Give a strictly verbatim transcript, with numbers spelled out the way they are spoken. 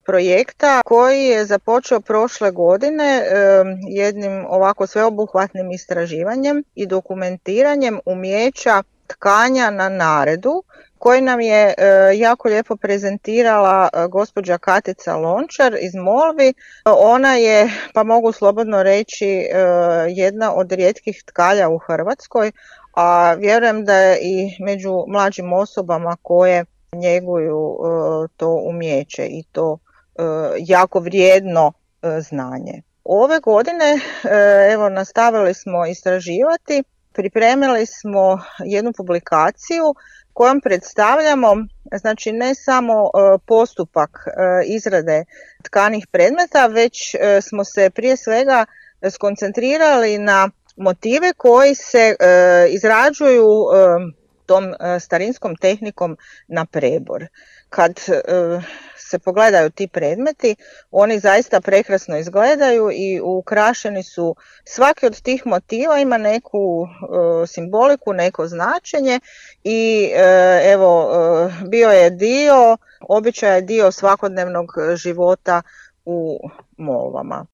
projekta koji je započeo prošle godine jednim ovako sveobuhvatnim istraživanjem i dokumentiranjem umijeća tkanja na naredu, koji nam je jako lijepo prezentirala gospođa Katica Lončar iz Molvi. Ona je, pa mogu slobodno reći, jedna od rijetkih tkalja u Hrvatskoj, a vjerujem da je i među mlađim osobama koje njeguju to umijeće i to jako vrijedno znanje. Ove godine evo nastavili smo istraživati, pripremili smo jednu publikaciju kojom predstavljamo, znači ne samo postupak izrade tkanih predmeta, već smo se prije svega skoncentrirali na motive koji se izrađuju tom starinskom tehnikom na prebor. Kad se pogledaju ti predmeti, oni zaista prekrasno izgledaju i ukrašeni su, svaki od tih motiva ima neku simboliku, neko značenje i evo bio je dio, običaj je dio svakodnevnog života u Molvama.